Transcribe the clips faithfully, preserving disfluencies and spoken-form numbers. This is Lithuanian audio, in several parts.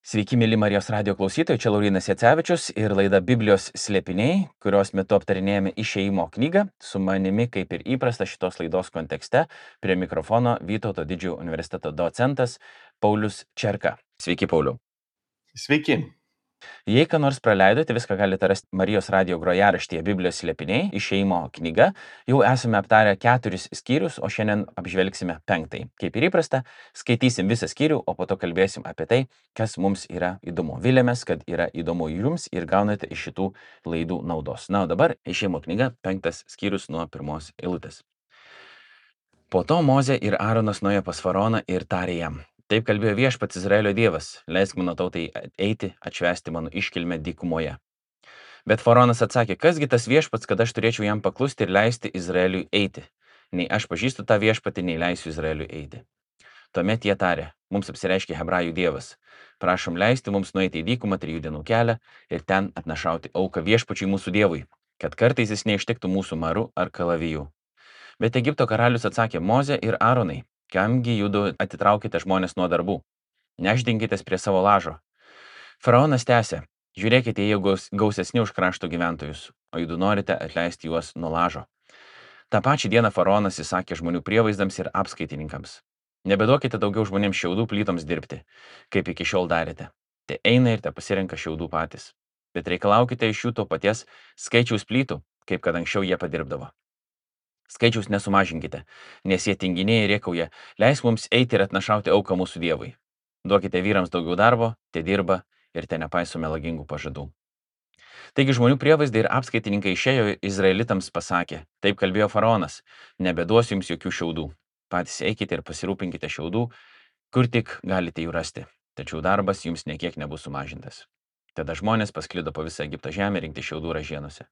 Sveiki, mėly Marijos radio klausytojai, čia Laurynas Jacevičius ir laida Biblijos slėpiniai, kurios metu aptarinėjame Išėjimo knygą. Su manimi, kaip ir įprasta šitos laidos kontekste, prie mikrofono Vytauto Didžiojo universiteto docentas Paulius Čerka. Sveiki, Pauliau. Sveiki. Jei ką nors praleidote, viską galite rasti Marijos radio grojaraštyje Biblijos slėpiniai, Išėjimo knyga. Jau esame aptarę keturis skyrius, o šiandien apžvelgsime penktąjį. Kaip ir įprasta, skaitysim visą skyrių, o po to kalbėsim apie tai, kas mums yra įdomu. Vilėmės, kad yra įdomu jums ir gaunate iš šitų laidų naudos. Na, o dabar Išėjimo knyga, penktas skyrius nuo pirmos eilutės. Po to Mozė ir Aaronas nuėjo pas faraoną ir tarė jam: Taip kalbėjo viešpats Izraelio dievas, leisk mano tautai eiti, atšvęsti mano iškilmę dykumoje. Bet faraonas atsakė: Kasgi tas viešpats, kad aš turėčiau jam paklusti ir leisti Izraeliui eiti? Nei aš pažįstu tą viešpatį, nei leisiu Izraeliui eiti. Tuomet jie tarė: Mums apsireiškė Hebrajų dievas. Prašom leisti mums nueiti į dykumą trijų dienų kelią ir ten atnašauti auką viešpačiui mūsų dievui, kad kartais jis neištiktų mūsų maru ar kalavijų. Bet Egipto karalius atsakė: Mozė ir Aaronai, kamgi judu atitraukite žmonės nuo darbų? Nešdinkitės prie savo lažo. Faraonas tęsė: Žiūrėkite, jie gaus, gausesni už krašto gyventojus, o judu norite atleisti juos nuo lažo. Ta pačią dieną faraonas įsakė žmonių prievaizdams ir apskaitininkams: Nebeduokite daugiau žmonėms šiaudų plytoms dirbti, kaip iki šiol darėte. Te eina ir te pasirenka šiaudų patys. Bet reikalaukite iš jų to paties skaičiaus plytų, kaip kad anksčiau jie padirbdavo. Skaičiaus nesumažinkite, nes jie tinginiai ir rėkauja: Leisk mums eiti ir atnašauti auką mūsų dievui. Duokite vyrams daugiau darbo, te dirba ir te nepaiso melagingų pažadų. Taigi žmonių prievaizdai ir apskaitininkai išėjo izraelitams pasakė: Taip kalbėjo faraonas, nebeduosiu jums jokių šiaudų. Patys eikite ir pasirūpinkite šiaudų, kur tik galite jų rasti, tačiau darbas jums niekiek nebus sumažintas. Tada žmonės pasklido po visą Egipto žemę rinkti šiaudų ražienose.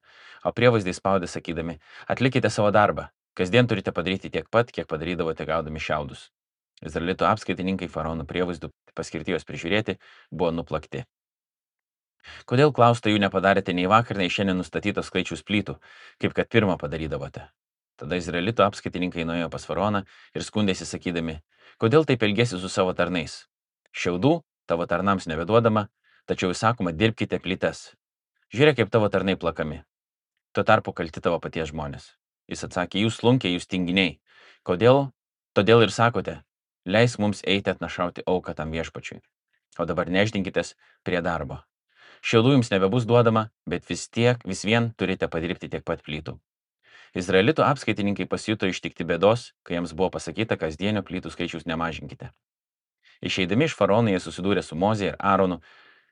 O prievaizdai spaudė sakydami: Atlikite savo darbą, kasdien turite padaryti tiek pat, kiek padarydavote gaudami šiaudus. Izraelito apskaitininkai faraono prievaizdų paskirti juos prižiūrėti buvo nuplakti. Kodėl, klausta, jų nepadarėte nei vakar, nei šiandien nustatytos skaičius plytų, kaip kad pirmą padarydavote? Tada izraelito apskaitininkai nuėjo pas faraoną ir skundėsi sakydami: Kodėl taip elgėsi su savo tarnais? Šiaudų tavo tarnams nebeduodama, tačiau įsakoma: dirbkite plytas. Žiūrėk, kaip tavo tarnai plakami. Tuo tarpu kalti tavo paties žmonės. Jis atsakė: Jūs slunkiai, jūs tinginiai. Kodėl? Todėl ir sakote: Leisk mums eiti atnašauti auką tam viešpačiui. O dabar nešdinkitės prie darbo. Šiaudų jums nebebus duodama, bet vis tiek, vis vien turite padirbti tiek pat plytų. Izraelito apskaitininkai pasijuto ištikti bėdos, kai jiems buvo pasakyta: kasdienio plytų skaičiaus nemažinkite. Išeidami iš faraono jie susidūrė su Mozė ir Aaronu,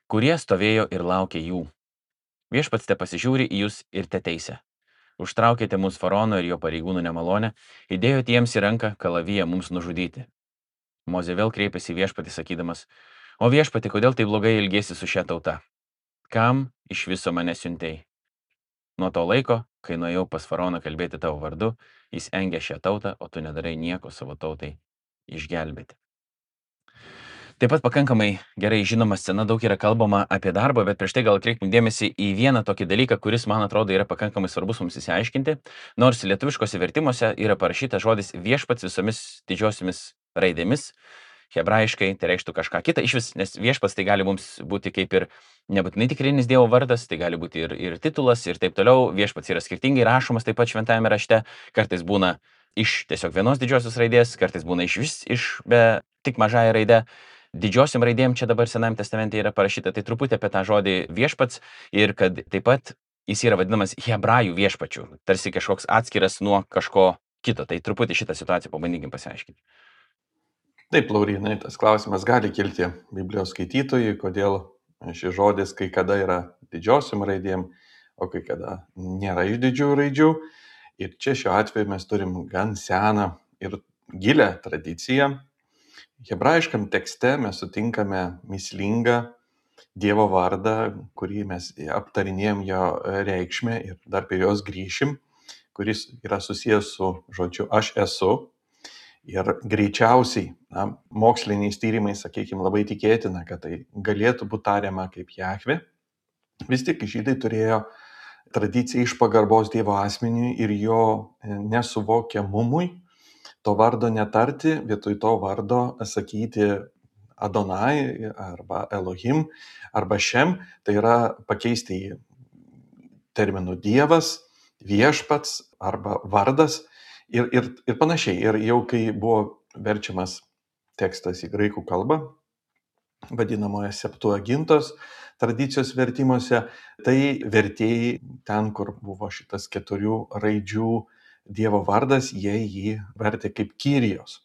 kurie stovėjo ir laukė jų. Viešpats te pasižiūri į jūs ir te teisia. Užtraukėte mūsų faraono ir jo pareigūnų nemalonę, įdėjote jiems į ranką kalaviją mums nužudyti. Mozė vėl kreipėsi į viešpatį sakydamas: O viešpatį, kodėl tai blogai elgėsi su šia tauta? Kam iš viso mane siuntei? Nuo to laiko, kai nuėjau pas faraoną kalbėti tavo vardu, jis engė šią tautą, o tu nedarai nieko savo tautai išgelbėti. Taip pat pakankamai gerai žinoma scena, daug yra kalbama apie darbą, bet prieš tai gal kreipim dėmesį į vieną tokį dalyką, kuris, man atrodo, yra pakankamai svarbus mums įsiaiškinti, nors lietuviškose vertimuose yra parašyta žodis viešpats visomis didžiosiomis raidėmis, hebrajiškai tai reikštų kažką kitą iš vis, nes viešpats tai gali mums būti kaip ir nebūtinai tikrinis Dievo vardas, tai gali būti ir, ir titulas ir taip toliau. Viešpats yra skirtingai rašomas taip pat šventajame rašte, kartais būna iš tiesiog vienos didžiosios raidės, kartais būna iš vis iš be tik mažąją raidę. Didžiosiom raidėm čia dabar Senajame testamente yra parašyta, tai truputį apie tą žodį viešpats ir kad taip pat jis yra vadinamas hebrajų viešpačiu, tarsi kažkoks atskiras nuo kažko kito. Tai truputį šitą situaciją pabandykim pasiaiškinti. Taip, Laurynai, tas klausimas gali kilti Biblijos skaitytojui, kodėl šis žodis kai kada yra didžiosiom raidėm, o kai kada nėra iš didžiųjų raidžių. Ir čia šiuo atveju mes turim gan seną ir gilę tradiciją. Hebrajiškam tekste mes sutinkame mįslingą Dievo vardą, kurį mes aptarinėjom jo reikšmę ir dar prie jos grįšim, kuris yra susijęs su žodžiu aš esu. Ir greičiausiai, na, moksliniais tyrimais, sakykime, labai tikėtina, kad tai galėtų būti tariama kaip Jahvė. Vis tik žydai turėjo tradiciją iš pagarbos Dievo asmeniui ir jo nesuvokiamumui to vardo netarti, vietoj to vardo sakyti Adonai arba Elohim arba Šem, tai yra pakeisti į terminų Dievas, viešpats arba vardas ir, ir, ir panašiai. Ir jau kai buvo verčiamas tekstas į graikų kalbą, vadinamoje Septuagintos tradicijos vertimuose, tai vertėjai ten, kur buvo šitas keturių raidžių Dievo vardas, jie jį vertė kaip Kyrijos.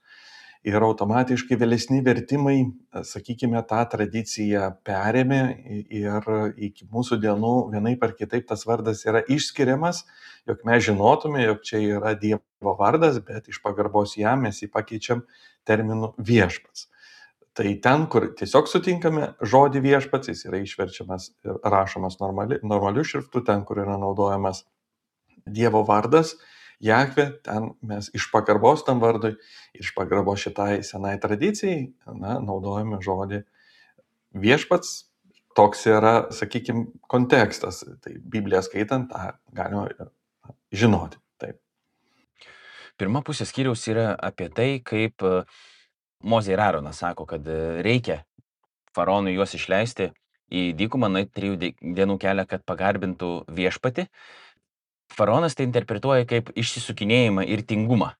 Ir automatiškai vėlesni vertimai, sakykime, tą tradiciją perėmė ir iki mūsų dienų vienaip ar kitaip tas vardas yra išskiriamas, jog mes žinotume, jog čia yra Dievo vardas, bet iš pagarbos jam mes jį pakeičiam terminu viešpats. Tai ten, kur tiesiog sutinkame žodį viešpats, jis yra išverčiamas ir rašomas normali, normaliu šriftu, ten, kur yra naudojamas Dievo vardas, Jahve, ten mes iš pagarbos tam vardui ir iš pagarbos šitai senai tradicijai, na, naudojame žodį viešpats. Toks yra, sakykime, kontekstas. Tai Bibliją skaitant, tą galima žinoti. Taip. Pirma pusė skyriaus yra apie tai, kaip Mozė ir Aaronas sako, kad reikia faraonui juos išleisti į dykumą, nueiti trijų dienų kelią, kad pagarbintų viešpatį. Faraonas tai interpretuoja kaip išsisukinėjimą ir tingumą.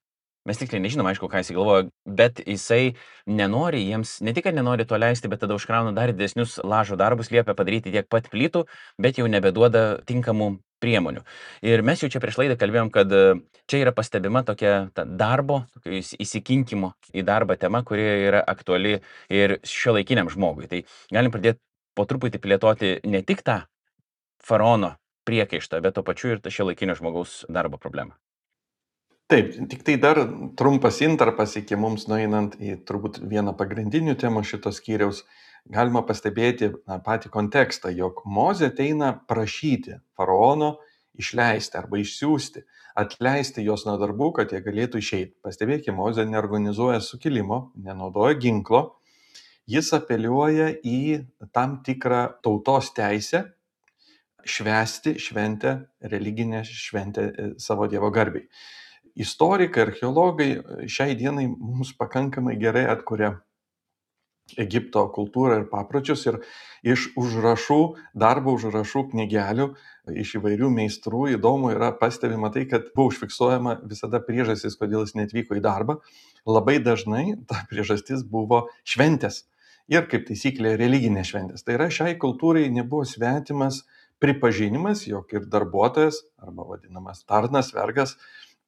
Mes tiksliai nežinom, aišku, ką jisai galvoja, bet jisai nenori jiems, ne tik, kad nenori to leisti, bet tada užkrauna dar didesnius lažo darbus, liepia padaryti tiek pat plytų, bet jau nebeduoda tinkamų priemonių. Ir mes jau čia prieš laidą kalbėjom, kad čia yra pastebima tokia ta darbo, įsikinkimo į darbą tema, kuri yra aktuali ir šiuolaikiniam žmogui. Tai galim pradėti po truputį plėtoti ne tik tą faraono priekaištą, bet to pačiu ir šiuolaikinio žmogaus darbo problemą. Taip, tik tai dar trumpas intarpas iki mums nueinant į turbūt vieną pagrindinių temų šitos skyriaus. Galima pastebėti na, patį kontekstą, jog Mozė ateina prašyti faraono išleisti arba išsiųsti, atleisti juos nuo darbų, kad jie galėtų išeiti. Pastebėkime, Mozė neorganizuoja sukilimo, nenaudoja ginklo, jis apeliuoja į tam tikrą tautos teisę švęsti šventę, religinę šventę savo Dievo garbei. Istorikai, archeologai šiai dienai mums pakankamai gerai atkuria Egipto kultūrą ir papročius ir iš užrašų, darbo užrašų knygelių, iš įvairių meistrų įdomu yra pastebima tai, kad buvo užfiksuojama visada priežastis, kodėl jis netvyko į darbą. Labai dažnai ta priežastis buvo šventės ir kaip taisyklė religinės šventės. Tai yra šiai kultūrai nebuvo svetimas pripažinimas, jog ir darbuotojas arba vadinamas tarnas, vergas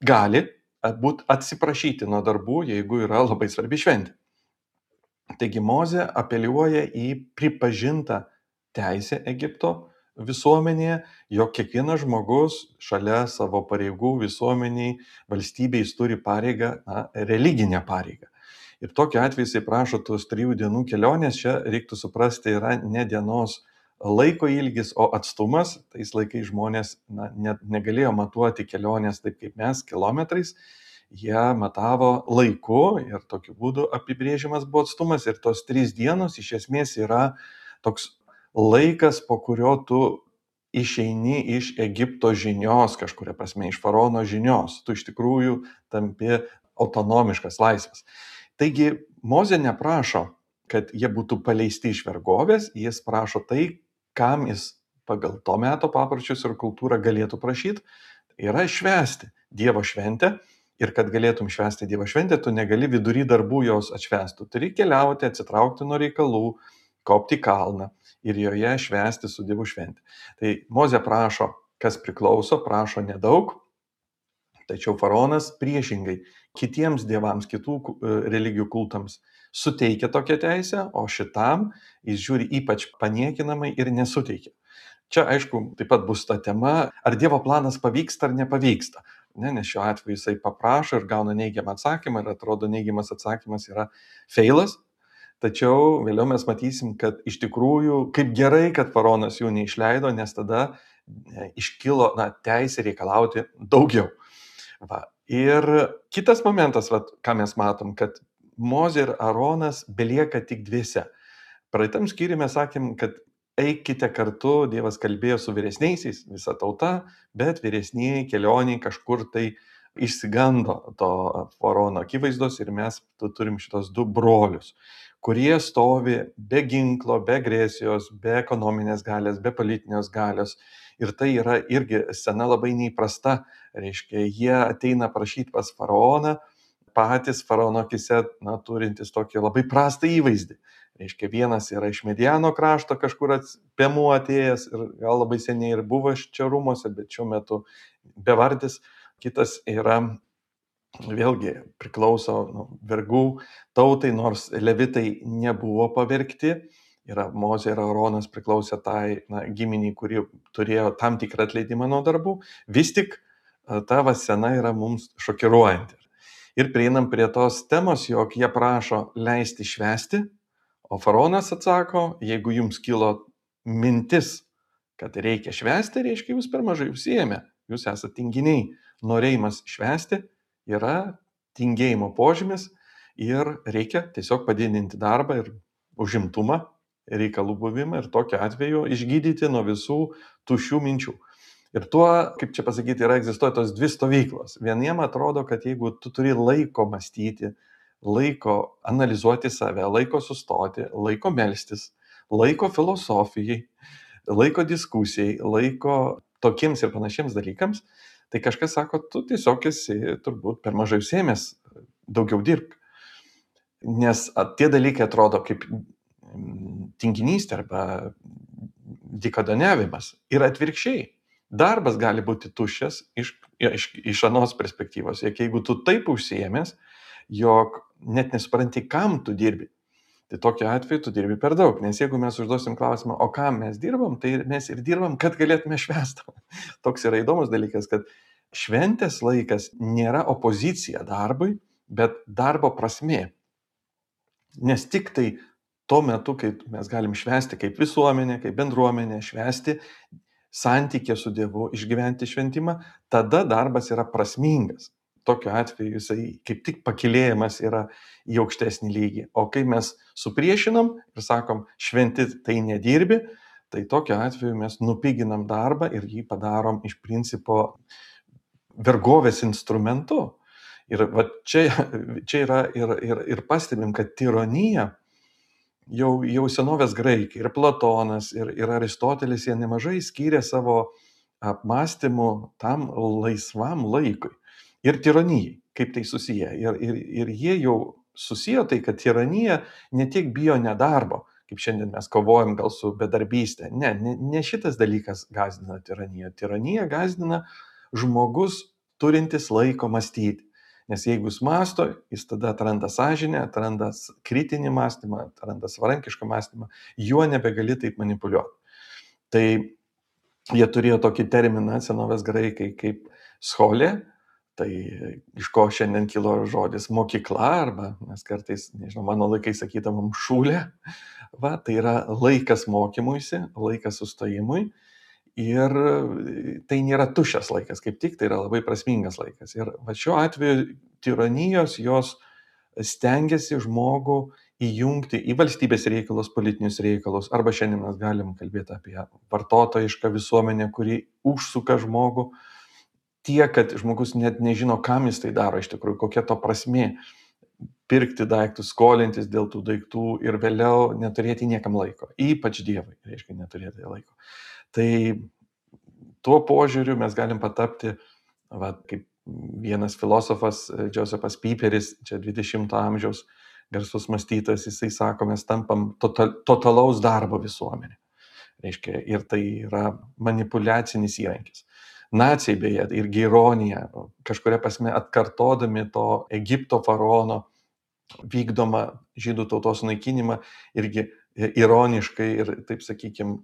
gali būt atsiprašyti nuo darbų, jeigu yra labai svarbi šventė. Taigi Mozė apeliuoja į pripažintą teisę Egipto visuomenėje, jog kiekvienas žmogus šalia savo pareigų visuomeniai, valstybei jis turi pareigą, na, religinę pareigą. Ir tokiu atveju jisai prašo tos trijų dienų kelionės, čia reiktų suprasti, yra ne dienos laiko ilgis, o atstumas. Tais laikais žmonės na, net negalėjo matuoti kelionės taip kaip mes, kilometrais. Jie matavo laiku ir tokiu būdu apibrėžiamas buvo atstumas. Ir tos trys dienos iš esmės yra toks laikas, po kurio tu išeini iš Egipto žinios, kažkuria prasme, iš faraono žinios. Tu iš tikrųjų tampi autonomiškas, laisvas. Taigi Mozė neprašo, kad jie būtų paleisti iš vergovės, jis prašo tai, kam jis pagal to meto papročius ir kultūrą galėtų prašyti, yra švęsti Dievo šventę. Ir kad galėtum švęsti Dievo šventę, tu negali vidury darbų jos atšvęsti. Tu turi keliauti, atsitraukti nuo reikalų, kopti kalną ir joje švęsti su Dievo šventė. Tai Mozė prašo, kas priklauso, prašo nedaug, tačiau faraonas priešingai kitiems dievams, kitų religijų kultams suteikia tokią teisę, o šitam jis žiūri ypač paniekinamai ir nesuteikia. Čia, aišku, taip pat bus ta tema, ar Dievo planas pavyksta ar nepavyksta. Ne, nes šiuo atveju jisai paprašo ir gauna neigiamą atsakymą ir atrodo neigiamas atsakymas yra feilas. Tačiau vėliau mes matysim, kad iš tikrųjų kaip gerai, kad faraonas jų neišleido, nes tada iškilo na, teisė reikalauti daugiau. Va. Ir kitas momentas, va, ką mes matom, kad Mozė ir Aaronas belieka tik dviese. Praeitam skyriuje mes sakėm, kad eikite kartu, Dievas kalbėjo su vyresniaisiais, visa tauta, bet vyresnieji kelioniai kažkur tai išsigando to faraono akivaizdos ir mes tu turim šitos du brolius, kurie stovi be ginklo, be agresijos, be ekonominės galios, be politinės galios. Ir tai yra irgi scena labai neįprasta. Reiškia, jie ateina prašyti pas faraoną, patys faraono akise, na, turintis tokį labai prastą įvaizdį. Reiškia, vienas yra iš Mediano krašto kažkur pėmuo atėjęs ir gal labai seniai ir buvo čia rūmose, bet šiuo metu bevardis. Kitas yra, vėlgi, priklauso nu, vergų tautai, nors levitai nebuvo pavergti. Yra Mozė ir Aaronas priklausė tai na, giminiai, kuri turėjo tam tikrą atleidimą nuo darbų. Vis tik ta va scena yra mums šokiruojanti. Ir prieinam prie tos temos, jog jie prašo leisti švęsti, o faraonas atsako, jeigu jums kilo mintis, kad reikia švęsti, reiškia, jūs per mažai užsiėmė, jūs esate tinginiai. Norėjimas švęsti yra tingėjimo požymis ir reikia tiesiog padidinti darbą ir užimtumą, reikalų buvimą ir tokiu atveju išgydyti nuo visų tuščių minčių. Ir tuo, kaip čia pasakyti, yra egzistuoja tos dvi stovyklos. Vieniem atrodo, kad jeigu tu turi laiko mąstyti, laiko analizuoti save, laiko sustoti, laiko melstis, laiko filosofijai, laiko diskusijai, laiko tokiems ir panašiems dalykams, tai kažkas sako, tu tiesiog esi turbūt per mažai užsiėmęs, daugiau dirbk. Nes tie dalykai atrodo kaip tinginystė arba dykaduoniavimas ir atvirkščiai. Darbas gali būti tuščias iš, iš, iš anos perspektyvos. Jeigu tu taip užsiėmęs, jog net nesupranti, kam tu dirbi, tai tokiu atveju tu dirbi per daug. Nes jeigu mes užduosim klausimą, o kam mes dirbam, tai mes ir dirbam, kad galėtume švęsti. Toks yra įdomus dalykas, kad šventės laikas nėra opozicija darbui, bet darbo prasmė. Nes tik tai tuo metu, kai mes galim švęsti kaip visuomenė, kaip bendruomenė, švęsti santykė su Dievu, išgyventi šventimą, tada darbas yra prasmingas. Tokiu atveju jisai kaip tik pakilėjimas yra į aukštesnį lygį. O kai mes supriešinam ir sakom, šventi tai nedirbi, tai tokiu atveju mes nupiginam darbą ir jį padarom iš principo vergovės instrumentu. Ir va, čia, čia yra ir, ir, ir pastebim, kad tironija Jau, jau senovės graikai, ir Platonas, ir, ir Aristotelis, jie nemažai skyrė savo apmąstymų tam laisvam laikui. Ir tironijai, kaip tai susiję. Ir, ir, ir jie jau susiję tai, kad tironija ne tik bijo nedarbo, kaip šiandien mes kovojam gal su bedarbystė. Ne, ne, ne šitas dalykas gąsdina tironiją. Tironija gąsdina žmogus turintis laiko mąstyti. Nes jeigu jis mąsto, jis tada atranda sąžinę, atranda kritinį mąstymą, atranda savarankišką mąstymą, juo nebegali taip manipuliuoti. Tai jie turėjo tokį terminą senovės graikai kaip scholė, tai iš ko šiandien kilo žodis mokykla, arba mes kartais, nežinau, mano laikai sakytamam šūlė, va, tai yra laikas mokymuisi, laikas sustojimui. Ir tai nėra tuščias laikas, kaip tik tai yra labai prasmingas laikas. Ir va šiuo atveju tironijos jos stengiasi žmogų įjungti į valstybės reikalus, politinius reikalus, arba šiandien mes galim kalbėti apie vartotojišką visuomenę, kuri užsuka žmogų tiek, kad žmogus net nežino, kam jis tai daro iš tikrųjų, kokia to prasmė pirkti daiktus, skolintis dėl tų daiktų ir vėliau neturėti niekam laiko, ypač Dievui, reiškia neturėti laiko. Tai tuo požiūriu mes galim patapti, va, kaip vienas filosofas Joseph Pieperis, čia dvidešimto amžiaus garsus mąstytojas, jisai sako, mes tampam total, totalaus darbo visuomenė. Reiškia, ir tai yra manipuliacinis įrankis. Naciai beje, irgi ironija, kažkuria prasme atkartodami to Egipto faraono vykdomą žydų tautos naikinimą, irgi ironiškai ir, taip sakykime,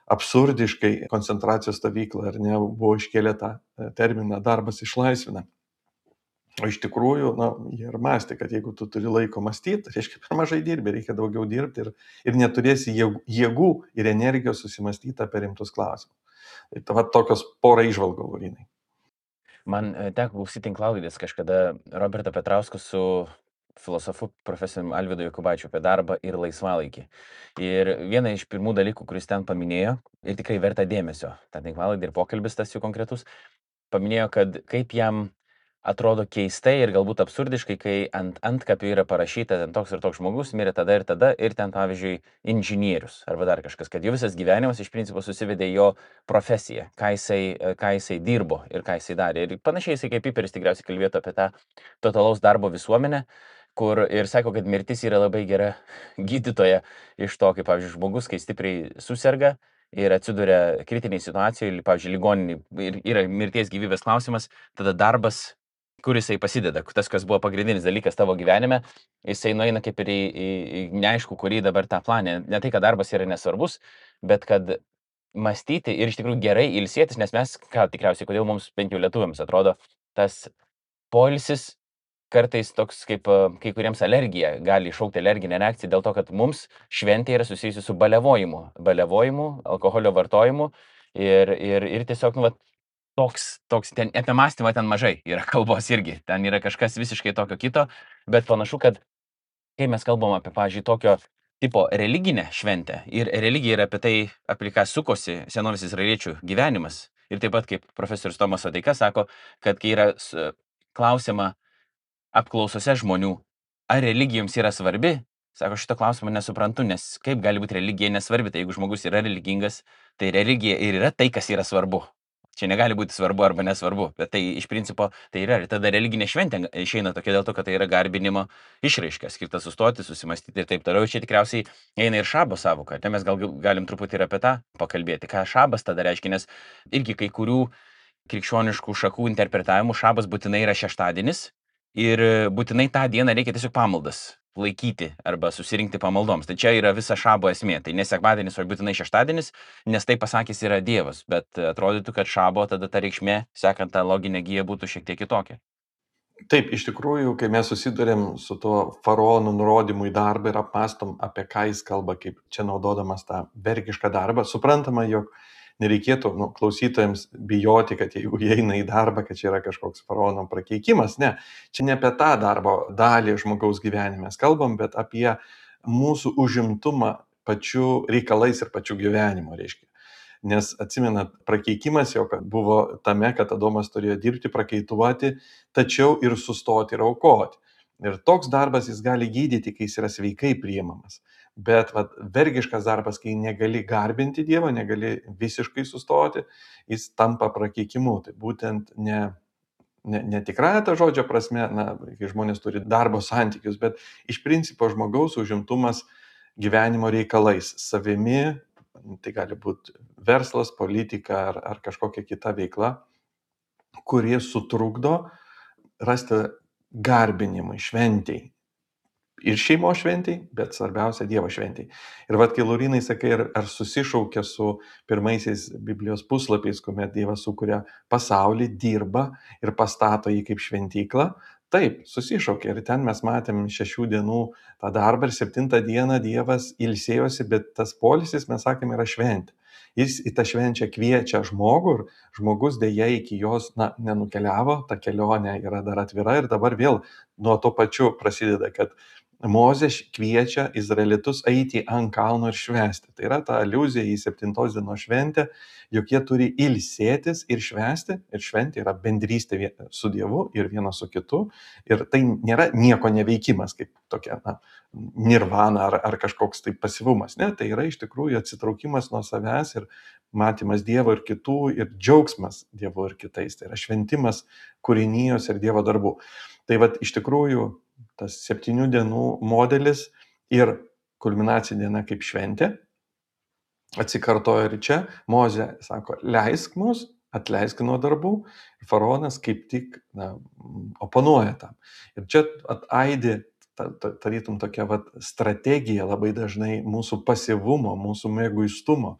absurdiškai koncentracijos stovyklą, ar ne, buvo iškėlę tą terminą darbas išlaisvina. O iš tikrųjų, na, jie ir mąstė, kad jeigu tu turi laiko mąstyti, reiškia per mažai dirbi, reikia daugiau dirbti ir, ir neturėsi jėgų ir energijos susimastyti apie rimtus klausimus. Tai va tokios pora įžvalgų, Laurinai. Man teko klausyti tinklalaidės kažkada Roberto Petrausko su filosofu profesoriumi Alvydu Jokubaičiu apie darbą ir laisvalaikį. Ir viena iš pirmų dalykų, kuris ten paminėjo, ir tikrai verta dėmesio, ta tinklalaidė ir pokalbis tas jų konkretus, paminėjo, kad kaip jam atrodo keistai ir galbūt absurdiškai, kai ant antkapių yra parašyta, ten toks ir toks žmogus mirė tada ir tada, ir ten, pavyzdžiui, inžinierius arba dar kažkas, kad jo visas gyvenimas iš principo susivedė į jo profesiją, ką jisai, ką jisai dirbo ir ką jisai darė. Ir panašiai jisai kaip Piperis tikriausiai kalbėtų apie tą totalaus darbo visuomenę, kur ir sako, kad mirtis yra labai gera gydytoja iš to, kaip, pavyzdžiui, žmogus, kai stipriai susirga ir atsiduria kritiniai situacijoje, pavyzdžiui, ligoninį ir yra mirties gyvybės klausimas, tada darbas, kur jisai pasideda, tas, kas buvo pagrindinis dalykas tavo gyvenime, jisai nueina kaip ir į, į, į neaišku, kurį dabar tą planę. Ne tai, kad darbas yra nesvarbus, bet kad mąstyti ir iš tikrųjų gerai ilsėtis, nes mes, ką tikriausiai, kodėl mums bent jau lietuviams atrodo, tas poilsis kartais toks kaip kai kuriems alergija, gali iššaukti alerginę reakciją dėl to, kad mums šventė yra susijusi su baliavojimu, baliavojimu, alkoholio vartojimu ir, ir, ir tiesiog, nu, va, toks, toks, ten apie mąstymą ten mažai yra kalbos irgi, ten yra kažkas visiškai tokio kito, bet panašu, kad kai mes kalbam apie, pavyzdžiui, tokio tipo religinę šventę ir religija yra apie tai, apie ką sukosi senovės izraeliečių gyvenimas. Ir taip pat, kaip profesorius Tomas Odeika sako, kad kai yra klausima apklausose žmonių, ar religija jums yra svarbi, sako, šito klausimo nesuprantu, nes kaip gali būti religija nesvarbi, tai jeigu žmogus yra religingas, tai religija ir yra tai, kas yra svarbu. Čia negali būti svarbu arba nesvarbu, bet tai iš principo tai yra. Ir tada religinė šventė išeina tokia dėl to, kad tai yra garbinimo išraiška, skirta sustoti, susimastyti ir taip toliau. Čia tikriausiai eina ir šabo savoka. Tai mes gal galim truputį ir apie tą pakalbėti, ką šabas tada reiškia, nes irgi kai kurių krikščioniškų šakų interpretavimų šabas būtinai yra šeštadienis ir būtinai tą dieną reikia tiesiog pamaldas laikyti arba susirinkti pamaldoms. Tai čia yra visa šabo esmė. Tai ne sekmadienis, o būtinai šeštadienis, nes tai pasakys yra Dievas. Bet atrodytų, kad šabo tada ta reikšmė, sekant tą loginę giją, būtų šiek tiek kitokia. Taip, iš tikrųjų, kai mes susidurėm su tuo faraonų nurodymu į darbą ir apmastom, apie ką jis kalba, kaip čia naudodamas tą vergišką darbą, suprantama, jog nereikėtų nu, klausytojams bijoti, kad jeigu jie eina į darbą, kad čia yra kažkoks faraono prakeikimas. Ne, čia ne apie tą darbo dalį žmogaus gyvenime mes kalbam, bet apie mūsų užimtumą pačių reikalais ir pačių gyvenimo, reiškia. Nes atsimenat, prakeikimas jau buvo tame, kad Adomas turėjo dirbti, prakaituoti, tačiau ir sustoti ir aukoti. Ir toks darbas jis gali gydyti, kai jis yra sveikai priimamas. Bet vat, vergiškas darbas, kai negali garbinti Dievo, negali visiškai sustoti, jis tampa prakeikimu. Tai būtent ne, ne, ne tikrąją tą žodžio prasme, na, kai žmonės turi darbo santykius, bet iš principo žmogaus užimtumas gyvenimo reikalais, savimi, tai gali būti verslas, politika ar, ar kažkokia kita veikla, kurie sutrukdo rasti garbinimui, šventėjai. Ir šeimo šventėj, bet svarbiausia Dievo šventėj. Ir vat, kai Laurynai sakai, ar, ar susišaukia su pirmaisiais Biblijos puslapiais, kuomet Dievas sukuria pasaulį, dirba ir pastato jį kaip šventyklą, taip, susišaukia. Ir ten mes matėm šešių dienų tą darbą ir septintą dieną Dievas ilsėjosi, bet tas poilsis, mes sakėm, yra šventė. Jis į tą švenčią kviečia žmogų ir žmogus dėja iki jos na, nenukeliavo, ta kelionė yra dar atvira ir dabar vėl nuo to pačiu prasideda, kad Mozė kviečia izraelitus eiti ant kalno ir švęsti. Tai yra ta aliuzija į septintos dienos šventę, jog jie turi ilsėtis ir švęsti. Ir šventė yra bendrystė su Dievu ir vienas su kitu. Ir tai nėra nieko neveikimas, kaip tokia na, nirvana ar, ar kažkoks tai pasyvumas. Ne, tai yra iš tikrųjų atsitraukimas nuo savęs ir matymas Dievo ir kitų ir džiaugsmas Dievu ir kitais. Tai yra šventimas kūrinijos ir Dievo darbų. Tai vat iš tikrųjų tas septynių dienų modelis ir kulminacija diena kaip šventė atsikartoja ir čia. Mozė sako, leisk mus, atleisk nuo darbų. Ir faraonas kaip tik na, oponuoja tam. Ir čia ataidi tarytum tokia vat, strategija labai dažnai mūsų pasyvumo, mūsų mėguistumo,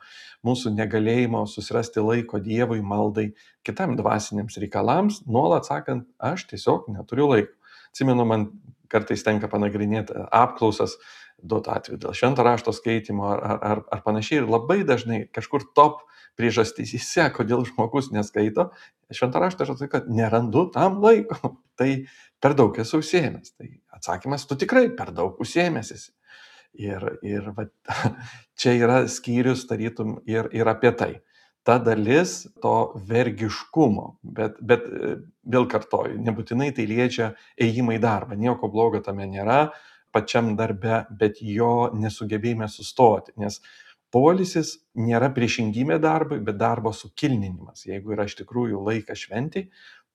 mūsų negalėjimo susirasti laiko Dievui, maldai, kitam dvasiniams reikalams, nuolat sakant, aš tiesiog neturiu laiko. Atsimenu, man kartais tenka panagrinėti apklausas, duotų atveju dėl švento rašto skaitimo ar, ar, ar panašiai. Ir labai dažnai kažkur top priežastyse, kodėl žmogus neskaito, švento rašto aš atsakysiu, kad nerandu tam laiko. Tai per daug esu užsiėmęs. Tai atsakymas, tu tikrai per daug užsiėmęs esi. Ir, ir va, čia yra skyrius, tarytum, ir, ir apie tai. ta dalis to vergiškumo, bet, bet e, vėl kartoju, nebūtinai tai liečia ėjimą į darbą, nieko blogo tame nėra pačiam darbe, bet jo nesugebėjime sustoti, nes poilsis nėra priešingybė darbui, bet darbo sukilninimas. Jeigu yra iš tikrųjų laikas šventei,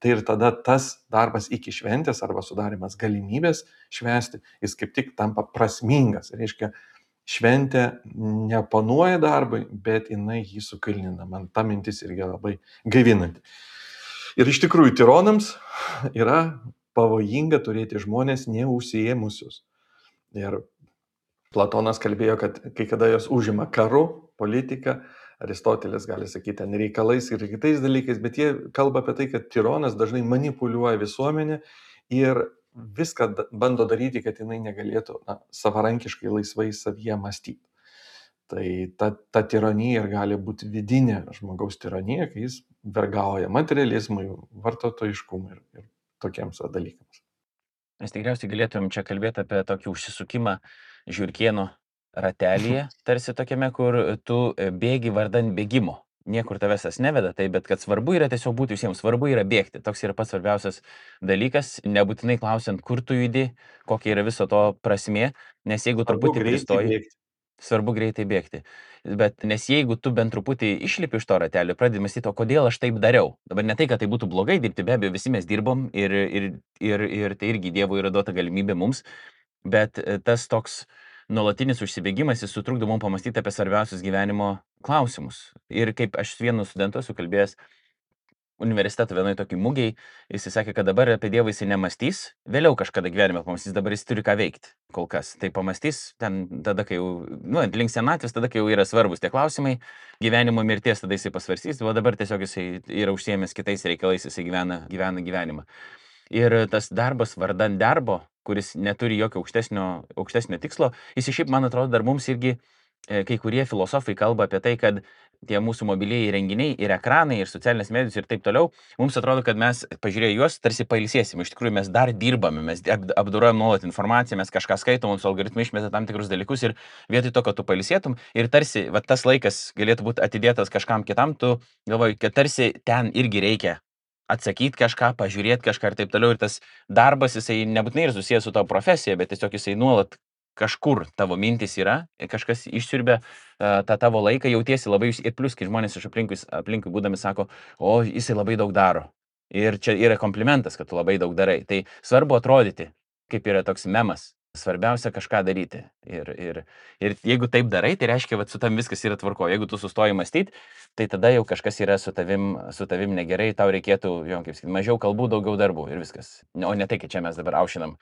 tai ir tada tas darbas iki šventės arba sudarimas galimybės švęsti, jis kaip tik tampa prasmingas. Reiškia, šventė neoponuoja darbui, bet jinai jį sukilnina. Man ta mintis irgi labai gaivinanti. Ir iš tikrųjų tironams yra pavojinga turėti žmonės neužsiėmusius. Ir Platonas kalbėjo, kad kai kada jos užima karu, politika, Aristotelis gali sakyti ten reikalais ir kitais dalykais, bet jie kalba apie tai, kad tironas dažnai manipuliuoja visuomenę ir viską da- bando daryti, kad jinai negalėtų na, savarankiškai laisvai savyje mąstyti. Tai ta, ta tironija ir gali būti vidinė žmogaus tironija, kai jis vergauja materializmui, vartotojiškumui ir, ir tokiems va dalykams. Mes tikriausiai galėtumėm čia kalbėti apie tokį užsisukimą žiurkieno ratelyje, tarsi tokiame, kur tu e, bėgi vardan bėgimo. Niekur tavęs tas neveda, tai bet kad svarbu yra tiesiog būti visiems, svarbu yra bėgti. Toks yra pats svarbiausias dalykas, nebūtinai klausiant, kur tu judi, kokia yra viso to prasmė, nes jeigu Svarbu truputį greitai pristoji, bėgti. svarbu greitai bėgti. Bet nes jeigu tu bent truputį išlipi iš to ratelio, pradedi mąstyti, o kodėl aš taip dariau. Dabar ne tai, kad tai būtų blogai dirbti, be abejo, visi mes dirbom ir, ir, ir, ir tai irgi Dievo yra duota galimybė mums, bet e, tas toks nuolatinis užsibėgimas, jis sutrukdo mums pamastyti apie svarbiausius gyvenimo klausimus. Ir kaip aš su vienu studentu esu kalbėjęs universiteto vienoje tokiai mugiai, jis sakė, kad dabar apie Dievą jis nemastys, vėliau kažkada gyvenime pamastys, dabar jis turi ką veikti kol kas. Tai pamastys ten tada, kai jau, nu, link senatvės, tada, kai jau yra svarbus tie klausimai, gyvenimo mirties, tada jisai pasvarstys, o dabar tiesiog jisai yra užsiėmęs kitais reikalais, jisai gyvena, gyvena gyvenimą. Ir tas darbas vardan darbo, kuris neturi jokio aukštesnio, aukštesnio tikslo, jis šiaip, man atrodo, dar mums irgi e, kai kurie filosofai kalba apie tai, kad tie mūsų mobilieji renginiai ir ekranai ir socialinės medijos ir taip toliau, mums atrodo, kad mes pažiūrėję juos tarsi pailsėsim. Iš tikrųjų mes dar dirbame, mes ap- apdorojam nuolat informaciją, mes kažką skaitom, mums algoritmai išmeta tam tikrus dalykus ir vietoj to, kad tu pailsėtum ir tarsi va, tas laikas galėtų būti atidėtas kažkam kitam, tu galvoji, kad tarsi ten irgi reikia atsakyti kažką, pažiūrėti kažką ir taip toliau. Ir tas darbas, jisai nebūtinai ir susijęs su tavo profesija, bet tiesiog jisai nuolat kažkur tavo mintis yra, ir kažkas išsiurbia e, tą tavo laiką, jautiesi labai, iš- ir plus, kai žmonės iš aplinkui, aplinkui būdami sako, o jisai labai daug daro. Ir čia yra komplimentas, kad tu labai daug darai. Tai svarbu atrodyti, kaip yra toks memas. Svarbiausia kažką daryti. Ir, ir, ir jeigu taip darai, tai reiškia, kad su tam viskas yra tvarko. Jeigu tu sustoji mąstyti, tai tada jau kažkas yra su tavim, su tavim negerai, tau reikėtų, jo, kaip sakyti, mažiau kalbų, daugiau darbų ir viskas. O ne tai, kad čia mes dabar aušinam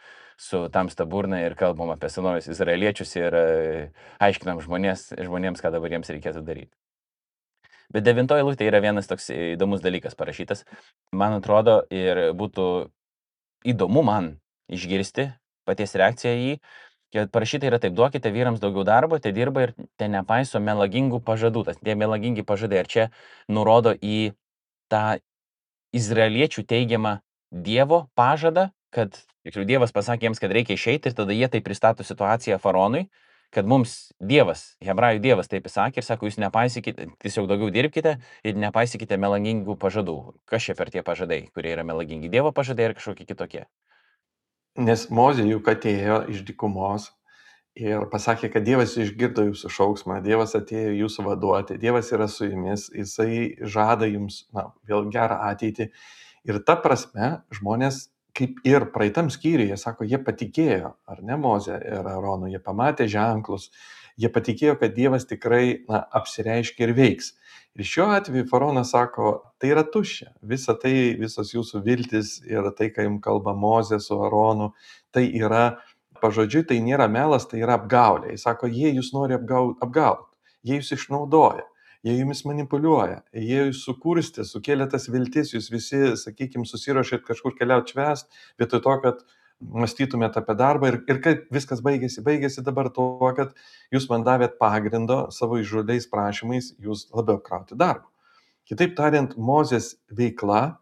su tamsta burna ir kalbam apie senovės izraeliečius ir e, aiškinam žmonės, žmonėms, ką dabar jiems reikėtų daryti. Bet devintoji eilutė yra vienas toks įdomus dalykas parašytas. Man atrodo, ir būtų įdomu man išgirsti paties reakciją į jį, kad parašyta yra taip, duokite vyrams daugiau darbo, te dirba ir te nepaiso melagingų pažadų. Tas tie melagingi pažadai, ar čia nurodo į tą izraeliečių teigiamą Dievo pažadą, kad tiksliau, Dievas pasakė jiems, kad reikia išeiti ir tada jie tai pristato situaciją faraonui, kad mums Dievas, hebrajų Dievas taip įsakė ir sako, jūs nepaisykite, tiesiog daugiau dirbkite ir nepaisykite melagingų pažadų. Kas čia per tie pažadai, kurie yra melagingi? Dievo pažadai ar kažkokie kitokie? Nes Mozė juk atėjo iš dykumos ir pasakė, kad Dievas išgirdo jūsų šauksmą, Dievas atėjo jūsų vaduoti, Dievas yra su jumis, jisai žada jums, na, vėl gerą ateitį. Ir ta prasme žmonės, kaip ir praeitam skyriuje, sako, jie patikėjo, ar ne Mozė ir Aronu, jie pamatė ženklus, jie patikėjo, kad Dievas tikrai, na, apsireiškia ir veiks. Ir šiuo atveju faraonas sako, tai yra tuščia, visa tai, visos jūsų viltis ir tai, ką jums kalba Mozė su Aronu, tai yra pažodžiui, tai nėra melas, tai yra apgaulė. Jis sako, jie jūs nori apgauti, apgaut. Jie jūs išnaudoja, jie jumis manipuliuoja, jie jūs sukurstė, sukėlė tas viltis, jūs visi, sakykime, susiruošėt kažkur keliauti švęst, vietoj to, kad mąstytumėt apie darbą ir, ir kaip viskas baigėsi. Baigėsi dabar tuo, kad jūs man davėt pagrindo savo išžuliais prašymais, jūs labiau krauti darbą. Kitaip tariant, Mozės veikla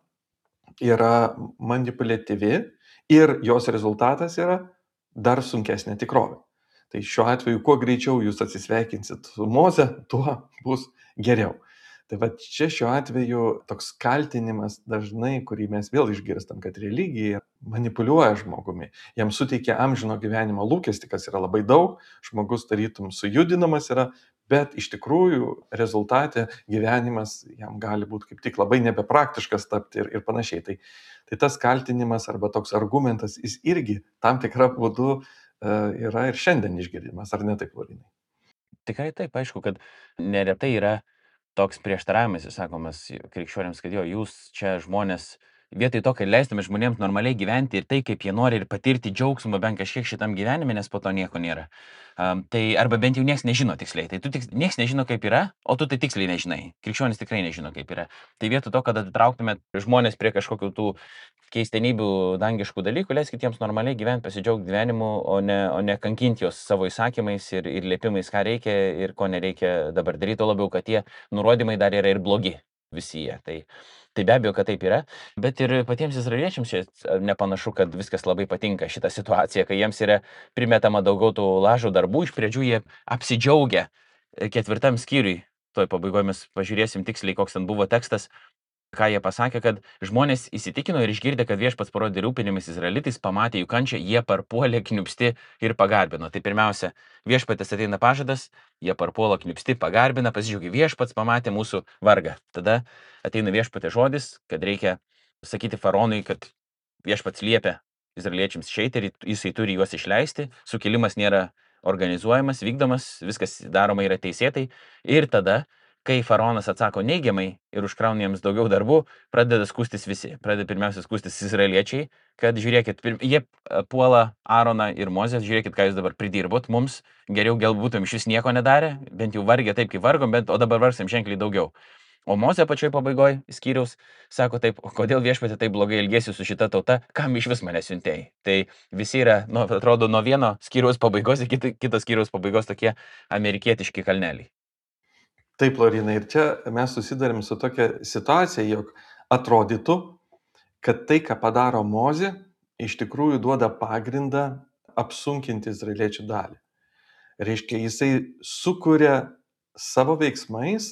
yra manipuliatyvi ir jos rezultatas yra dar sunkesnė tikrovė. Tai šiuo atveju, kuo greičiau jūs atsisveikinsit su Moze, tuo bus geriau. Tai va čia šiuo atveju toks kaltinimas dažnai, kurį mes vėl išgirstam, kad religija manipuliuoja žmogumi, jam suteikia amžino gyvenimo lūkestį, kas yra labai daug, žmogus tarytum sujudinamas yra, bet iš tikrųjų rezultate gyvenimas jam gali būti kaip tik labai nebepraktiškas tapti ir, ir panašiai. Tai, tai tas kaltinimas arba toks argumentas, jis irgi tam tikrą būdu uh, yra ir šiandien išgirdimas, ar ne taip, Laurinai? Tikrai taip, aišku, kad neretai yra toks prieštaravimas, sakomas krikščionims, kad jo, jūs čia žmonės, vietoj to, kad leistumėt žmonėms normaliai gyventi ir tai, kaip jie nori ir patirti džiaugsmą bent kažkiek šitam gyvenime, nes po to nieko nėra. Um, tai arba bent jau niekas nežino tiksliai. Tai tu tiks, niekas nežino, kaip yra, o tu tai tiksliai nežinai. Krikščionis tikrai nežino, kaip yra. Tai vietoj to, kad atitrauktumėt žmonės prie kažkokių tų keistenybių dangiškų dalykų, leiskit jiems normaliai gyventi, pasidžiaugti gyvenimu, o ne, o ne kankinti jos savo įsakymais ir, ir liepimais, ką reikia ir ko nereikia dabar daryti, o labiau, kad tie nurodymai dar yra ir blogi visi jie. Tai, tai be abejo, kad taip yra, bet ir patiems izraeliečiams čia nepanašu, kad viskas labai patinka šitą situaciją, kai jiems yra primetama daugiau tų lažų darbų, iš pradžių jie apsidžiaugia ketvirtam skyriui, toj pabaigoje mes pažiūrėsim tiksliai, koks ten buvo tekstas, ką jie pasakė, kad žmonės įsitikino ir išgirdę, kad viešpats parodė rūpinimis izraelitais, pamatė jų kančią, jie parpuolė kniupsti ir pagarbino. Tai pirmiausia, viešpatės ateina pažadas, jie parpuola kniupsti, pagarbina, pasidžiaugia, viešpats pamatė mūsų vargą. Tada ateina viešpatės žodis, kad reikia sakyti faraonui, kad viešpats liepia izraeliečiams išeiti ir jisai turi juos išleisti, sukilimas nėra organizuojamas, vykdomas, viskas daroma yra teisėtai ir tada, kai faraonas atsako neigiamai ir užkrauna jiems daugiau darbų, pradeda skūstis visi. Pradeda pirmiausia skūstis izraeliečiai, kad žiūrėkit, pir... jie puola Aaroną ir Mozę, žiūrėkit, ką jūs dabar pridirbot, mums geriau gal būtum iš vis nieko nedarę, bent jau vargė taip, kaip vargom, bet o dabar vargsim ženkliai daugiau. O Mozė pačioj pabaigoje skyriaus sako taip, kodėl viešpatė taip blogai elgėsi su šita tauta, kam iš vis mane siuntėjai. Tai visi yra, nu, atrodo, nuo vieno skyriaus pabaigos iki kito skyriaus pabaigos tokie amerikietiški kalneliai. Taip, Laurinai, ir čia mes susidarėm su tokia situacija, jog atrodytų, kad tai, ką padaro Mozė, iš tikrųjų duoda pagrindą apsunkinti izraeliečių dalį. Reiškia, jisai sukuria savo veiksmais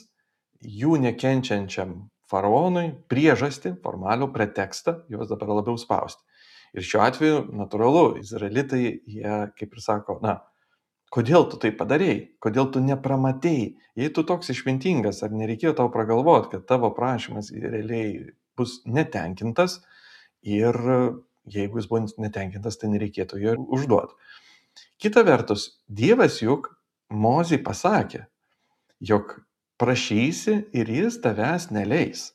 jų nekenčiančiam faraonui priežastį, formalų pretekstą, juos dabar labiau spausti. Ir šiuo atveju, natūralu, izraelitai, jie, kaip ir sako, na, kodėl tu tai padarėjai, kodėl tu nepramatėjai, jei tu toks išmintingas, ar nereikėjo tau pragalvoti, kad tavo prašymas realiai bus netenkintas ir jeigu jis buvo netenkintas, tai nereikėtų jo užduoti. Kita vertus, Dievas juk Mozei pasakė, jog prašysi ir jis tavęs neleis.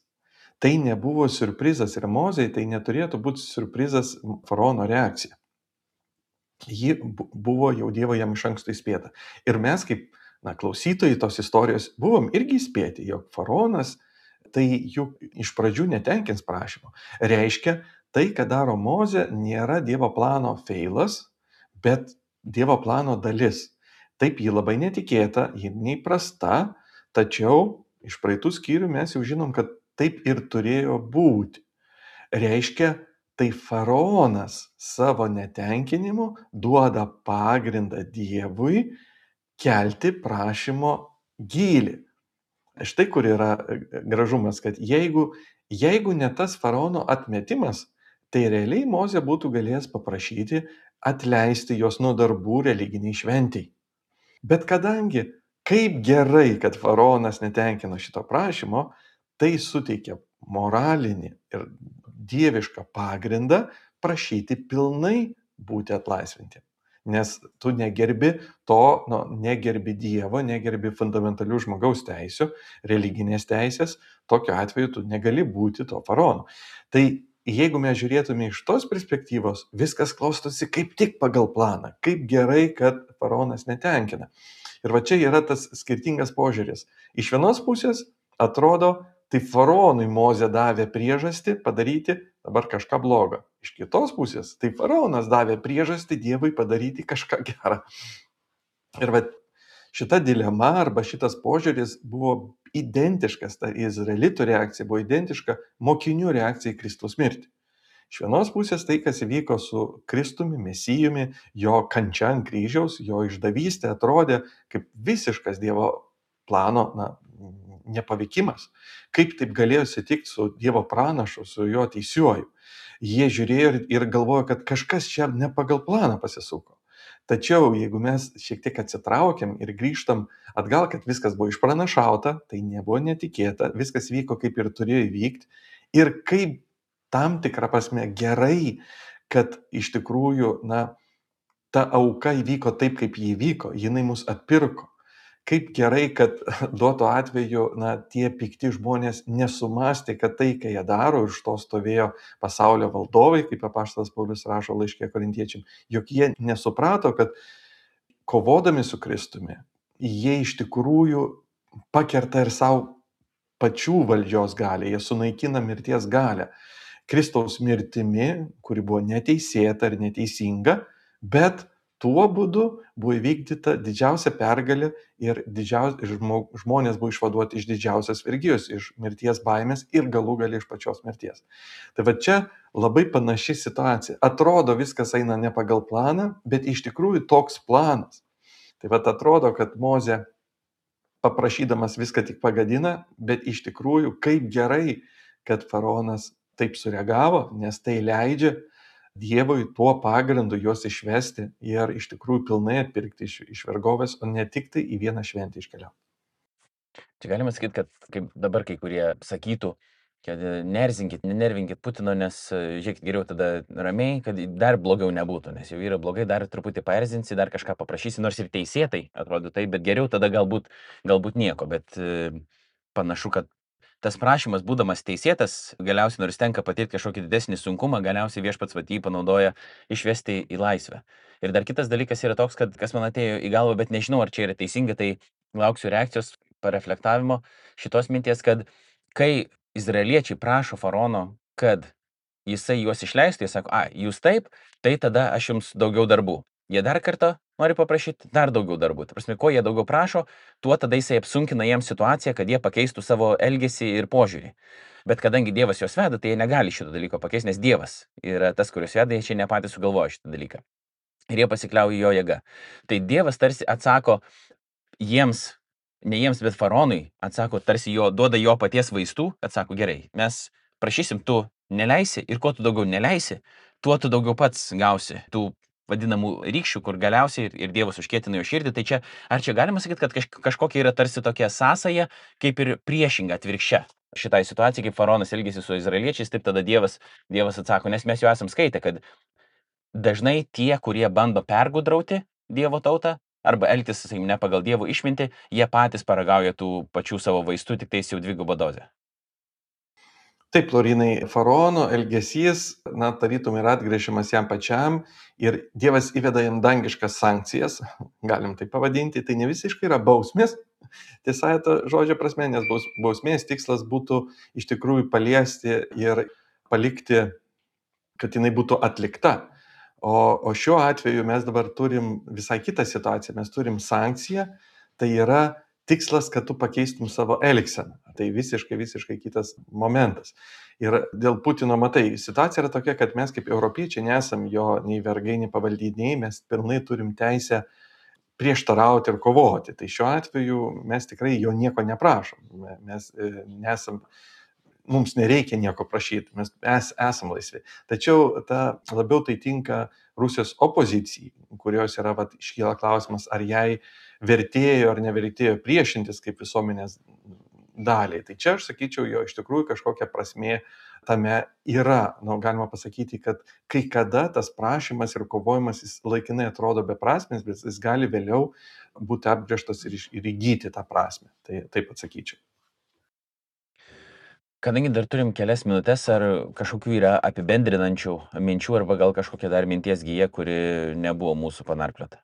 Tai nebuvo siurprizas ir Mozei tai neturėtų būti siurprizas faraono reakcija. Ji buvo jau Dievo jam iš anksto įspėta. Ir mes kaip na, klausytojai tos istorijos buvom irgi įspėti, jog faraonas tai juk iš pradžių netenkins prašymo. Reiškia, tai, ką daro Mozė, nėra Dievo plano feilas, bet Dievo plano dalis. Taip, ji labai netikėta, ji neįprasta, tačiau iš praeitų skyrių mes jau žinom, kad taip ir turėjo būti. Reiškia, tai faraonas savo netenkinimu duoda pagrindą Dievui kelti prašymo gylį. Štai kur yra gražumas, kad jeigu, jeigu ne tas faraono atmetimas, tai realiai Mozė būtų galėjęs paprašyti atleisti jos nuo darbų religiniai šventiai. Bet kadangi kaip gerai, kad faraonas netenkino šito prašymo, tai suteikia moralinį ir dievišką pagrindą prašyti pilnai būti atlaisvinti. Nes tu negerbi to, nu, negerbi Dievo, negerbi fundamentalių žmogaus teisių, religinės teisės, tokiu atveju tu negali būti to faraonu. Tai jeigu mes žiūrėtume iš tos perspektyvos, viskas klostosi kaip tik pagal planą, kaip gerai, kad faraonas netenkina. Ir va čia yra tas skirtingas požiūris. Iš vienos pusės atrodo, tai faraonui Mozė davė priežastį padaryti dabar kažką blogo. Iš kitos pusės, tai faraonas davė priežastį Dievui padaryti kažką gerą. Ir va šita dilema arba šitas požiūris buvo identiškas, ta izraelitų reakcija buvo identiška mokinių reakcijai į Kristaus mirtį. Iš vienos pusės tai, kas įvyko su Kristumi, Mesijumi, jo kančia ant kryžiaus, jo išdavystė atrodė kaip visiškas Dievo plano na, nepavykimas. Kaip taip galėjo atsitikti su Dievo pranašu, su jo teisiuoju. Jie žiūrėjo ir, ir galvojo, kad kažkas čia ne pagal planą pasisuko. Tačiau jeigu mes šiek tiek atsitraukiam ir grįžtam atgal, kad viskas buvo išpranašauta, tai nebuvo netikėta, viskas vyko kaip ir turėjo įvykti. Ir kaip tam tikrą prasme gerai, kad iš tikrųjų, na, ta auka įvyko taip, kaip jį įvyko, jinai mus atpirko. Kaip gerai, kad duoto atveju, na, tie pikti žmonės nesumastė, kad tai, ką jie daro, iš to stovėjo pasaulio valdovai, kaip apaštalas Paulius rašo laiške Korintiečiam, jog jie nesuprato, kad kovodami su Kristumi, jie iš tikrųjų pakerta ir savo pačių valdžios galę, jie sunaikina mirties galę. Kristaus mirtimi, kuri buvo neteisėta ir neteisinga, bet tuo būdu buvo įvykdyta didžiausia pergalė ir didžiaus, žmonės buvo išvaduoti iš didžiausios vergijos, iš mirties baimės ir galų gale iš pačios mirties. Tai va čia labai panaši situacija. Atrodo, viskas eina ne pagal planą, bet iš tikrųjų toks planas. Tai va atrodo, kad Mozė paprašydamas viską tik pagadina, bet iš tikrųjų kaip gerai, kad faraonas taip sureagavo, nes tai leidžia Dievui tuo pagrindu juos išvesti ir iš tikrųjų pilnai atpirkti iš, iš vergovės, o ne tik tai į vieną šventę iškeliauti. Čia galima sakyti, kad kaip dabar kai kurie sakytų, kad nerzinkit, nenervinkit Putino, nes žiūrėkit geriau tada ramiai, kad dar blogiau nebūtų, nes jau yra blogai, dar truputį paerzinsi, dar kažką paprašysi, nors ir teisėtai atrodo tai, bet geriau tada galbūt, galbūt nieko, bet e, panašu, kad tas prašymas, būdamas teisėtas, galiausiai nors tenka patirti kažkokį didesnį sunkumą, galiausiai viešpats vat jį panaudoja išvesti į laisvę. Ir dar kitas dalykas yra toks, kad kas man atėjo į galvą, bet nežinau, ar čia yra teisinga, tai lauksiu reakcijos, pareflektavimo šitos minties, kad kai izraeliečiai prašo faraono, kad jisai juos išleistų, jis sako, a, jūs taip, tai tada aš jums daugiau darbų. Jie dar kartą nori paprašyti dar daugiau darbų. Tai prasme, ko jie daugiau prašo, tuo tada jisai apsunkina jiems situaciją, kad jie pakeistų savo elgesį ir požiūrį. Bet kadangi Dievas juos veda, tai jie negali šito dalyko pakeisti, nes Dievas yra tas, kuris veda, jie čia ne patys sugalvoja šitą dalyką. Ir jie pasikliauja jo jėga. Tai Dievas tarsi atsako jiems, ne jiems, bet faraonui, atsako tarsi jo, duoda jo paties vaistų, atsako gerai, mes prašysim, tu neleisi ir kuo tu daugiau neleisi, tuo tu daugiau pats gausi tų vadinamų rykščių, kur galiausiai ir, ir Dievas užkietina jo širdį. Tai čia, ar čia galima sakyti, kad kaž, kažkokia yra tarsi tokia sąsaja, kaip ir priešinga atvirkščia šitai situacijai, kaip faraonas elgėsi su izraeliečiais, taip tada Dievas, Dievas atsako, nes mes jau esam skaitę, kad dažnai tie, kurie bando pergudrauti Dievo tautą, arba elgtis, sakykim, ne pagal Dievo išmintį, jie patys paragauja tų pačių savo vaistų, tik tais jau dvigubą dozę. Taip, Laurinai, faraono elgesys, na, tarytum yra atgręžimas jam pačiam ir Dievas įveda jam dangiškas sankcijas, galim tai pavadinti, tai ne visiškai yra bausmės, tiesa, to žodžio prasme, nes baus, bausmės tikslas būtų iš tikrųjų paliesti ir palikti, kad jinai būtų atlikta. O, o šiuo atveju mes dabar turim visai kitą situaciją, mes turim sankciją, tai yra tikslas, kad tu pakeistum savo elgseną. Tai visiškai, visiškai kitas momentas. Ir dėl Putino, matai, situacija yra tokia, kad mes kaip europiečiai nesam jo nei vergai, nei pavaldiniai, mes pilnai turim teisę prieštarauti ir kovoti. Tai šiuo atveju mes tikrai jo nieko neprašom. Mes nesam, mums nereikia nieko prašyti, mes es, esam laisvi. Tačiau ta, labiau tai tinka Rusijos opozicijai, kurios yra, vat, iškyla klausimas, ar jai vertėjo ar nevertėjo priešintis kaip visuomenės daliai. Tai čia aš sakyčiau, jo iš tikrųjų kažkokia prasmė tame yra. Nu, galima pasakyti, kad kai kada tas prašymas ir kovojimas jis laikinai atrodo beprasmis, bet jis gali vėliau būti apgręžtas ir, ir įgyti tą prasmę. Tai taip atsakyčiau. Kadangi dar turim kelias minutės, ar kažkokių yra apibendrinančių minčių, arba gal kažkokia dar minties gyja, kuri nebuvo mūsų panarpliota?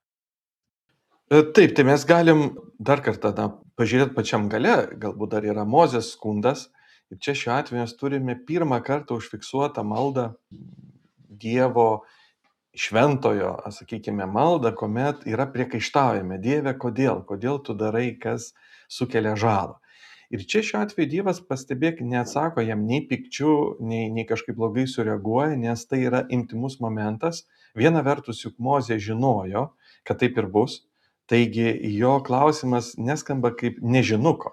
Taip, tai mes galim dar kartą na, pažiūrėti pačiam gale, galbūt dar yra Mozės skundas. Ir čia šiuo atveju mes turime pirmą kartą užfiksuotą maldą Dievo šventojo, sakykime, maldą, kuomet yra priekaištaujame, Dieve, kodėl, kodėl tu darai, kas sukelia žalą. Ir čia šiuo atveju Dievas, pastebėk, neatsako jam nei pikčių, nei, nei kažkaip blogai sureaguoja, nes tai yra intimus momentas. Viena vertus juk Mozė žinojo, kad taip ir bus. Taigi jo klausimas neskamba kaip nežinuko.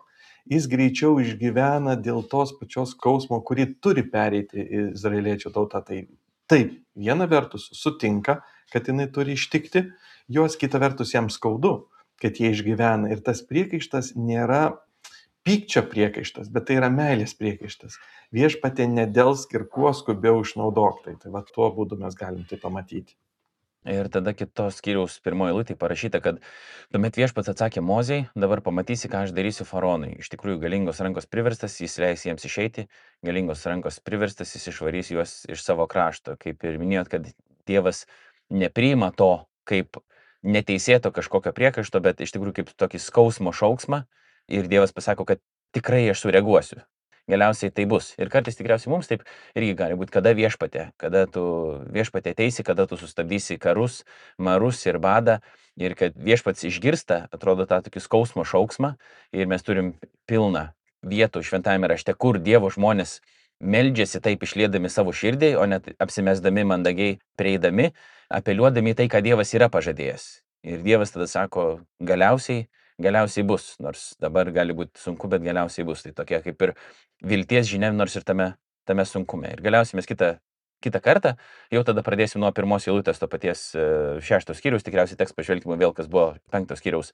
jis greičiau išgyvena dėl tos pačios skausmo, kurį turi pereiti izraeliečių tauta. Tai taip, viena vertus sutinka, kad jinai turi ištikti, jos kita vertus jam skaudu, kad jie išgyvena. Ir tas priekaištas nėra pykčio priekaištas, bet tai yra meilės priekaištas. Viešpatie nedelsk ir kuo skubiau išnaudok tai. Tai va tuo būdu mes galim tai pamatyti. Ir tada kitos skyriaus pirmoji eilutė parašyta, kad tuomet viešpats atsakė Mozei, dabar pamatysi, ką aš darysiu faraonui. Iš tikrųjų, galingos rankos priverstas, jis leis jiems išeiti, galingos rankos priverstas, jis išvarys juos iš savo krašto. Kaip ir minėjot, kad Dievas nepriima to kaip neteisėto kažkokio priekaišto, bet iš tikrųjų kaip tokį skausmo šauksmą. Ir Dievas pasako, kad tikrai aš sureaguosiu. Galiausiai tai bus. Ir kartais tikriausiai mums taip irgi gali būti, kada viešpatė, kada tu viešpatė ateisi, kada tu sustabdysi karus, marus ir badą. Ir kad viešpats išgirsta, atrodo, tą tokį skausmo šauksmą. Ir mes turim pilną vietų šventajame rašte, kur Dievo žmonės meldžiasi taip išliedami savo širdį, o net apsimesdami mandagiai prieidami, apeliuodami tai, ką Dievas yra pažadėjęs. Ir Dievas tada sako, galiausiai galiausiai bus, nors dabar gali būti sunku, bet galiausiai bus. Tai tokia kaip ir vilties žinia, nors ir tame, tame sunkume. Ir galiausiai mes kitą, kitą kartą, jau tada pradėsim nuo pirmos eilutės to paties šeštos skyriaus, tikriausiai teks pažvelgti vėl, kas buvo penktos skyriaus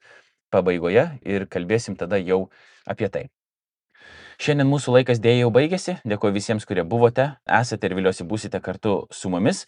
pabaigoje ir kalbėsim tada jau apie tai. Šiandien mūsų laikas dėja jau baigėsi. Dėkuoju visiems, kurie buvote, esate ir viliuosi būsite kartu su mumis.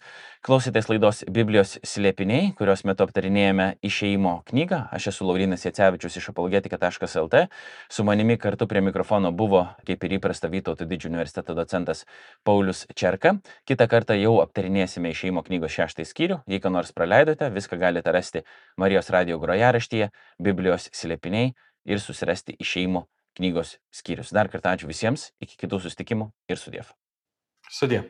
Klausėtės laidos Biblijos slėpiniai, kurios metu aptarinėjame Išėjimo knygą. Aš esu Laurynas Jacevičius iš apologetika taškas lt. Su manimi kartu prie mikrofono buvo, kaip ir įprasta, Vytauto Didžiojo universiteto docentas Paulius Čerka. Kitą kartą jau aptarinėsime Išėjimo knygos šeštąjį skyrių. Jei ką nors praleidote, viską galite rasti Marijos radijo grojaraštyje, Biblijos slėpiniai ir susirasti Išėjimo knygos skyrius. Dar kartą ačiū visiems, iki kitų susitikimų ir sudiev. Sudie.